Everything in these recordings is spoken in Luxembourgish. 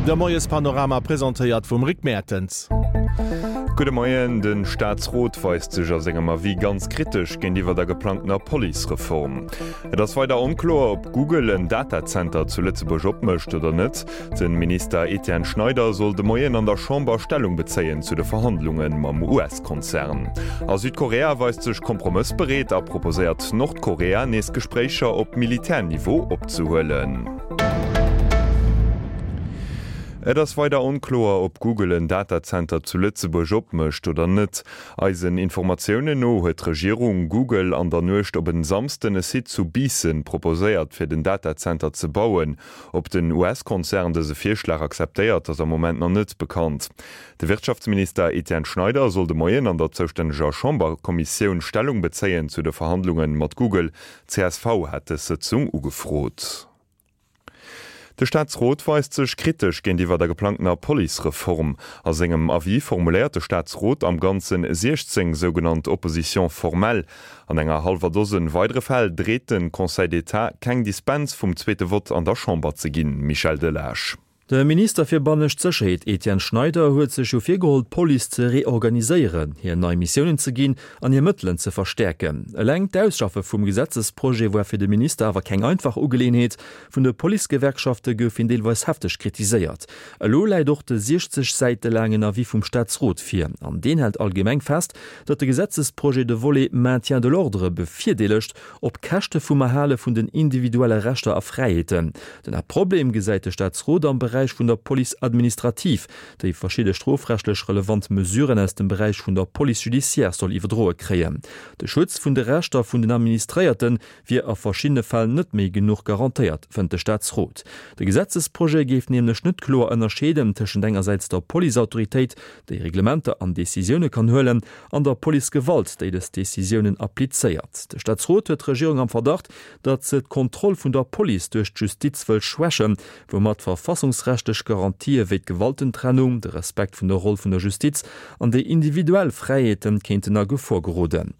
De Moiespanorama presentéiert vum Rick Mertens. Gudde Moien. De Staatsrot weist sech a sengem Avis ganz kritesch géintiwwer der geplangtener Policereform. Et ass weider onkloer, ob Google en Datazenter zu Lëtzebuerg opmécht oder net. De Minister Etienne Schneider soll de Moien an der Chamber Stellung bezéien zu de Verhandlunge mam US-Konzern. A Südkorea weist sech kompromëssbereet a proposéiert Nordkorea, nees Gespréicher op Militärniveau opzehuelen. Et ass weider onkloer, ob Google en Datazenter zu Lëtzebuerg opmécht oder net. Eisen Informatiounen no huet d'Regierung Google an der Nuecht op en Samsden e Site zu Biissen proposéiert, fir den Datazenter ze bauen. Ob den US-Konzern dëse Virschlag akzeptéiert, ass am Moment nach net bekannt. De Wirtschaftsminister Etienne Schneider soll de Moien an der zoustänneger Chamberkommissioun Stellung bezéien zu de Verhandlunge mat Google. Csv hat dës Sëtzung ugefrot. De Staatsrot weist sech kritesch géintiwwer der geplangtener Policereform. A sengem Avis formuléiert de Staatsrot am Ganze 16 sougenannt Oppositions formelles. An enger hallwer Dosen weidere Fäll dreet de Conseil d'État, keng Dispens vum zweete Vott an der Chamber ze ginn. Michel Delage. De Minister fir bannescht Sécherheet Etienne Schneider huet sech jo virgeholl, d'Police ze reorganiséieren, hir nei Missiounen ze ginn an hir Mëttelen ze verstäerken. Eleng d'Ausschaffe vum Gesetzesprojet war fir de Minister awer keng einfach Ugeleeënheet. Vun de Policegewerkschafte gouf hien deelweis hefteg kritiséiert. Elo läit och de 60 Säite laangen Avis vum Staatsrot vir. An deen hält allgemeng fest, datt de Gesetzesprojet de Volet Maintien de l'ordre bevirdeelegt, op Käschte vum Erhale vun den individuelle Rechter a Fräiheeten. Den Haaptproblem gesäit de Staatsrot am Beräich vun der Police administrative, déi verschidde strofrechtlech relevant Mesuren aus dem Beräich vun der Police judiciaire soll iwwerdroe kréien. De Schutz vun de Rechter vun den Administréierte wier a verschiddene Fäll net méi genuch garantéiert, fënnt de Staatsrot. De Gesetzesprojet géif nämlech net kloer ënnerscheeden tëschent engersäits der Policeautoritéit, déi Reglementer an Decisioune kann huelen, an der Policegewalt, déi dës Decisiounen applizéiert. De Staatsrot huet d'Regierung am Verdacht, datt se d'Kontroll vun der Police duerch d'Justiz wëll schwächen, woumat verfassungsrechtlech Garantië wéi d'Gewaltentrennung, de Respekt vun der Roll vun der Justiz an déi individuell Fräiheete kéinten a Gefor geroden.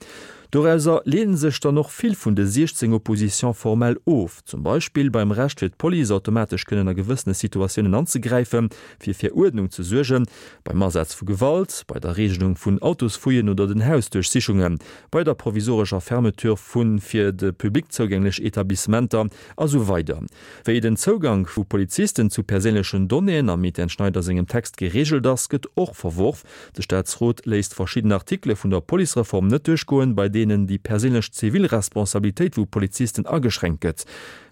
Dorauser leede sech dann och vill vun de 16 Oppositions formelles of, zum Beispill beim Recht fir d'Police automatesch kënnen a gewëssene Situatiounen anzegräifen, fir fir Uerdnung ze suergen, beim Asaz vu Gewalt, bei der Regelung vun Autosfouillen oder den Hausduerchsichungen, bei der provisorescher Fermeture vu fir de Public zougänglech Etablissementer a sou weider. Wéi den Zougank vu Polizisten zu perséinlechen Donnéeën am Etienne Schneider sengem Text gereegelt ass, gëtt och verworf. De Staatsrot léisst verschidden Artikele vun der Policereform net duerchgoen, bei deenen déi perséinlech Zivilresponsabilitéit vu Polizisten ageschränkt gëtt.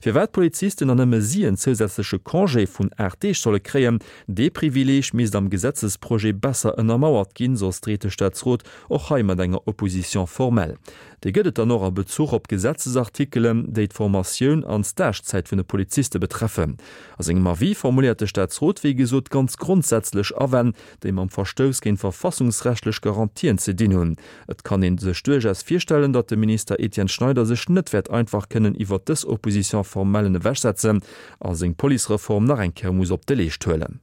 Firwat d'Polizisten an nëmme si en zousätzleche Congé vun 8 Deeg solle kréien, dee Privileeg misst am Gesetzesprojet besser ënnermauert ginn, soss dreet de Staatsrot och hei mat enger Opposition formelle. Déi gëtt et dann och a Bezuch op Gesetzesartikelen, déi d'Formatioun an d'Stagezäit vun de Poliziste betreffen. A sengem Avis formuléiert de Staatsrot wéi gesot ganz grondsätzlech Awänn, déi mam Verstouss géint verfassungsrechtlech Garantien ze dinn hunn. Et kann ee sech duerchaus virstellen, datt de Minister Etienne Schneider sech net wäert einfach kënnen iwwert dës Opposition formellen ewechsetzen a seng Policereform nach eng Kéier muss op de Leescht huelen.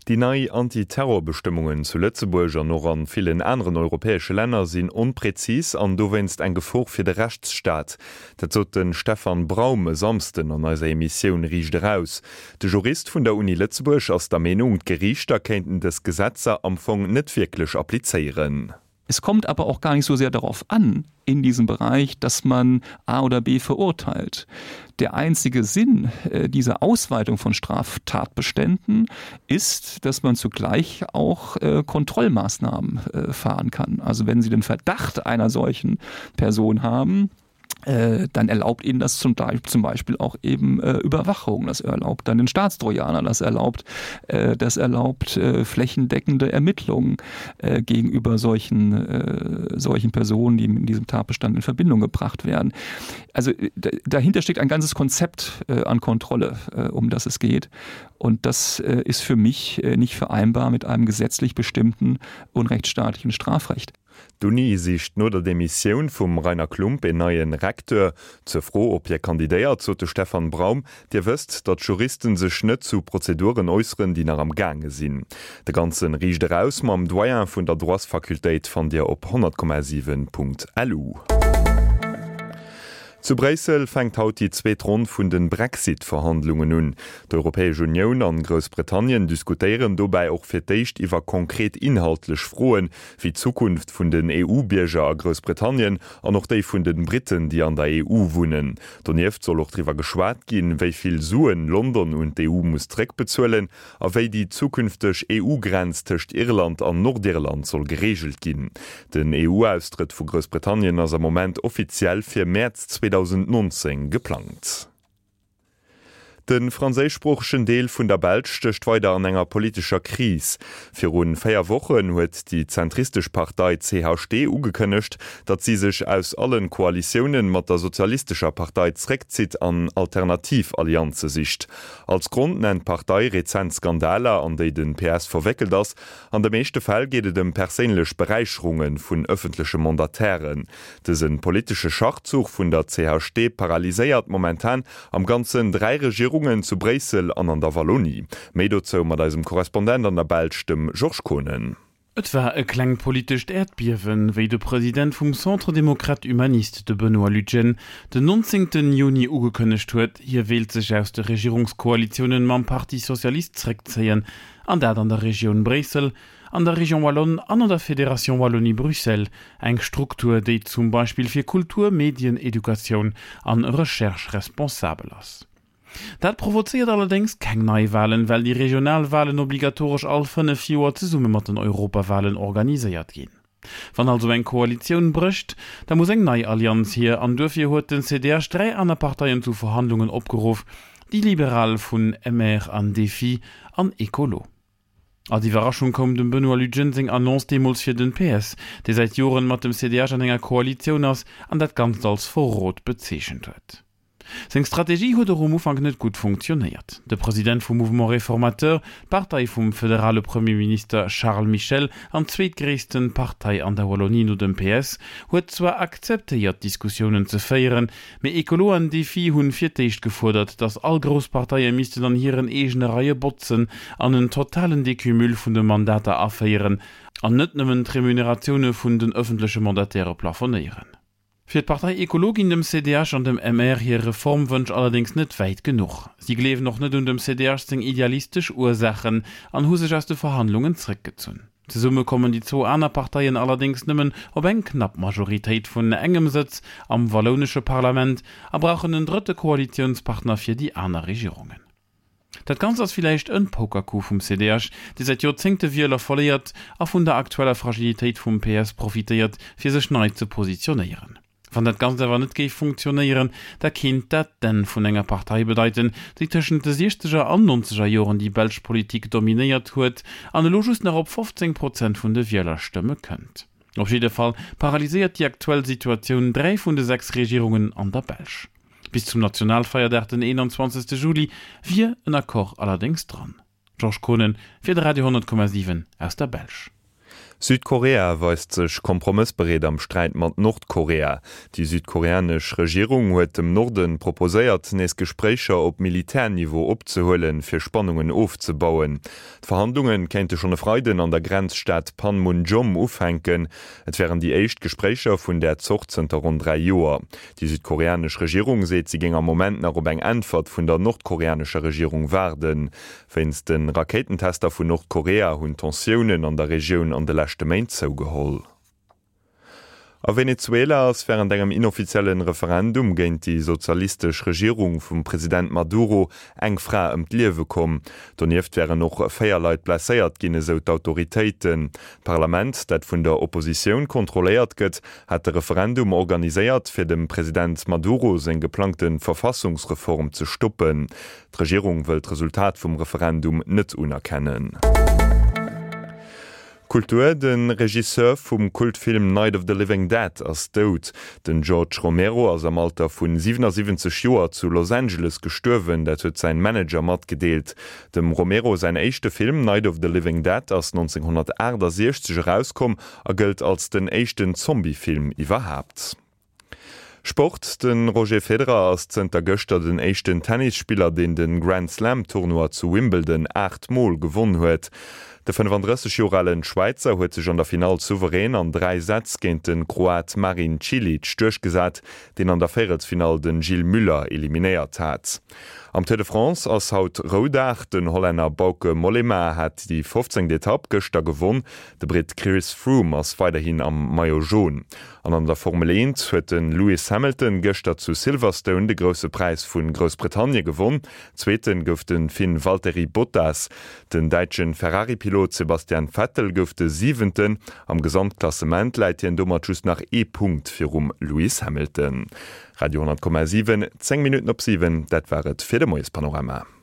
Déi nei Anti-Terror-Bestëmmungen zu Lëtzebuerg an och an villen aneren europäesche Länner sinn onprezis an dowéinst eng Gefor fir de Rechtsstaat. Dat sot de Stefan Braum e Samsden an eiser Emissioun Riicht Eraus. De Jurist vun der Uni Lëtzebuerg ass der Meenung, d'Geriichter kéinten dës Gesetzer am Fong net wierklech applizéieren. Es kommt aber auch gar nicht so sehr darauf an in diesem Bereich, dass man A oder B verurteilt. Der einzige Sinn äh, dieser Ausweitung von Straftatbeständen ist, dass man zugleich auch äh, Kontrollmaßnahmen äh, fahren kann. Also wenn Sie den Verdacht einer solchen Person haben, Äh, dann erlaubt ihnen das zum, zum Beispiel auch eben äh, Überwachung, das erlaubt dann den Staatstrojaner, das erlaubt, äh, das erlaubt äh, flächendeckende Ermittlungen äh, gegenüber solchen, äh, solchen Personen, die in diesem Tatbestand in Verbindung gebracht werden. Also äh, dahinter steckt ein ganzes Konzept äh, an Kontrolle, äh, um das es geht. Und das äh, ist für mich äh, nicht vereinbar mit einem gesetzlich bestimmten unrechtsstaatlichen Strafrecht. D'Uni sicht no der Demissioun vum Rainer Klump een neie Recteur. Zur Fro, ob hie kandidéiert, sot de Stefan Braum, Dir wësst, datt Juristen sech net zu Prozeduren äusseren, déi nach am gaange sinn. De ganze Riicht eraus mam Doyen vun der Droitsfakultéit fannt Dir op 100,7.lu. Zu Bréissel fänkt haut déi zweet Ronn vun de Brexit-Verhandlungen un. D'Europäesch Unioun an Groussbritannien diskutéieren dobäi och fir d'éischt iwwer konkret inhaltlech Froen, wéi d'Zukunft vun den EU-Bierger a Groussbritannien an och déi vun den Britten, déi an der EU wunnen. Donieft soll och driwwer geschwat ginn, wéi vill Suen London un d'EU muss zréckbezuelen a wéi déi zukünfteg EU-Grenz tëscht Irland an Nordirland soll gereegelt ginn. Den EU-Austrëtt vu Groussbritannien ass am Moment offiziell fir Mäerz 2019 geplangt. De franséischsproochegen Deel vun der Belsch stécht weider an enger politescher Kris. Viru 4 Wochen huet déi zentristesch Partei CHD ugekënnegt, datt si sech aus allen Koalitiounen mat der sozialistescher Partei zréckzitt an alternativ Allianze sicht. Als Grond nennt d'Partei rezent Skandaler, an déi de PS verwéckelt ass. An de meeschte Fäll geet et ëm perséinlech Beräicherunge vun ëffentleche Mandatairen. Dëse politesche Schachzuch vun der CHD paralyséiert momentan am Ganzen 3 Regierungen zu Bréissel an an der Wallonie. Méi dozou mat eisem Korrespondent an der Belsch, dem Georges Kohnen. Et war e klengt politescht Äerdbiewen, wéi de President vum Centre démocrate humaniste, de Benoît Lutgen, den 19 Juni ugekënnegt huet, hie wéilt sech aus de Regierungskoalitiounen mam Parti socialiste zréckzéien, an dat an der Regioun Bréissel, an der Région wallonne an an der Fédération Wallonie-Bruxelles, eng Struktur, déi zum Beispill fir Kultur, Medien, Educatioun an Recherche responsabel ass. Dat provozéiert allerdéngs keng Neiwalen, well déi regional Walen obligatoresch all 5 Joer zesumme mat den Europawalen organiséiert ginn. Wann also eng Koalitioun brécht, da muss eng nei Allianz hier an duerfir huet den CDH 3 aner Parteien zu Verhandlungen opgeruff, déi Liberal vun MR an Défi an Ecolo. Als Iwwerraschung koum dem Benoît Lutgen seng Annonce deemools fir den PS, dee säit Joren mat dem CDH an enger Koalitioun ass an dat Ganzt als Verrot bezeechent huet. Seng Strategie huet och um Ufank net gutt funktionéiert. De President vum Mouvement Réformateur, d'Partei vum federale Premierminister Charles Michel an zweetgréissten Partei an der Wallonie no dem PS, huet zwar akzeptéiert Diskussiounen ze féieren, mee Ecolo an Défi hunn fir d'éischt gefuerdert, datt all grouss Parteie missten an hiren eegene Reie botzen an en totalen Decumul vun de Mandater aféieren an net nëmmen d'Remuneratioune vun den ëffentleche Mandataire plafonéieren. Fir d'Partei Ecolo ginn dem CDH an dem MR hir Reformwënsch allerdéngs net wäit genuch. Si gleewen och net un dem CDH seng idealistesch Ursaachen an hu sech aus de Verhandlungen zréckgezunn. Zesumme kommen déi zwou aner Parteien allerdéngs nëmmen op eng knapp Majoritéit vun engem Sëtz am wallounesche Parlament a brauchen en drëtte Koalitiounspartner fir déi aner Regierungen. Dat Ganzt ass villäicht en Pokercoup vum CDH, dee säit Joerzéngte Wieler verléiert a vun der aktueller Fragilitéit vum PS profitéiert, fir sech nei ze positionéieren. Wann dat Ganzt awer net géif funktionéieren, da kéint dat d'Enn vun enger Partei bedeiten, déi tëschent de siechzeger an nonzeger Joren déi belsch Politik dominéiert huet an elo just nach op 15 Prozent vun de Wielerstëmme kënnt. Op jidde Fall paralyséiert déi aktuell Situatioun dräi vun de 6 Regierungen an der Belsch. Bis zum Nationalfeierdag den 21. Juli wier en Accord allerdéngs dran. Georges Kohnen fir de Radio 10,7 aus der Belsch. Südkorea weist sech kompromëssbereet am Sträit mat Nordkorea. Déi südkoreanesch Regierung huet dem Norden proposéiert, nees Gespréicher op Militärniveau opzehuelen, fir Spannungen ofzebauen. D'Verhandlunge kéinte schonn e Freiden an der Grenzstad Panmunjom ufänken. Et wären déi éischt Gespréicher vun där Zort zënter ronn 3 Joer. Déi südkoreanesch Regierung seet, si géing am Moment nach op eng Äntwert vun der nordkoreanescher Regierung waarden. Wéinst de Rakéitentester vun Nordkorea hunn d'Tensiounen an der Regioun an de leschte Méint zougeholl. A Venezuela ass wärend engem inoffizielle Referendum géint déi sozialistesch Regierung vum President Maduro eng Fra ëm d'Liewe komm. Donieft wären och 4 Leit blesséiert ginn, esou d'Autoritéiten. D'Parlament, dat vun der Oppositioun kontrolléiert gëtt, hat de Referendum organiséiert, fir dem President Maduro seng geplangte Verfassungsreform ze stoppen. D'Regierung wëll d'Resultat vum Referendum net unerkennen. Kultur, De Regisseur vum Kultfilm Night of the Living Dead ass dout. Den George Romero ass am Alter vu 77 Joer zu Los Angeles gestuerwen, dat huet säin Manager matgedeelt. Dem Romero säin éischte Film Night of the Living Dead ass 1968 erauskomm a gëllt als den éischten Zombie-Film iwwerhaapt. Sport, De Roger Federer ass zënter gëschter den éischten Tennisspiller, deen de Grand-Slam-Tournoi zu Wimbledon 8 Mol gewonn huet. De 35 Joer alen Schwäizer huet sech an der Finall souverän an 3 Sätz géint de Kroat Marin Cilic duerchgesat, deen an der Véierelsfinall de Gilles Müller eliminéiert hat. Am Tour de France ass haut Roudag. Den Hollänner Bauke Mollema hat déi 15. Etapp gëschter gewonn. De Britt Chris Froome ass weiderhin am Maillot Jaune. An an der Formel 1 huet de Lewis Hamilton gëschter zu Silverstone de Grousse Präis vu Groussbritannie gewonn. Zweeten gouf de Finn Valtteri Bottas. Den däitsche Ferrari-Pilot Sebastian Vettel gouf de Siwenten. Am Gesamtklassement läit hien domat just nach ee Punkt virum Lewis Hamilton. Radio 10,7, 10 Minutten op 7, dat war et fir de Moiespanorama.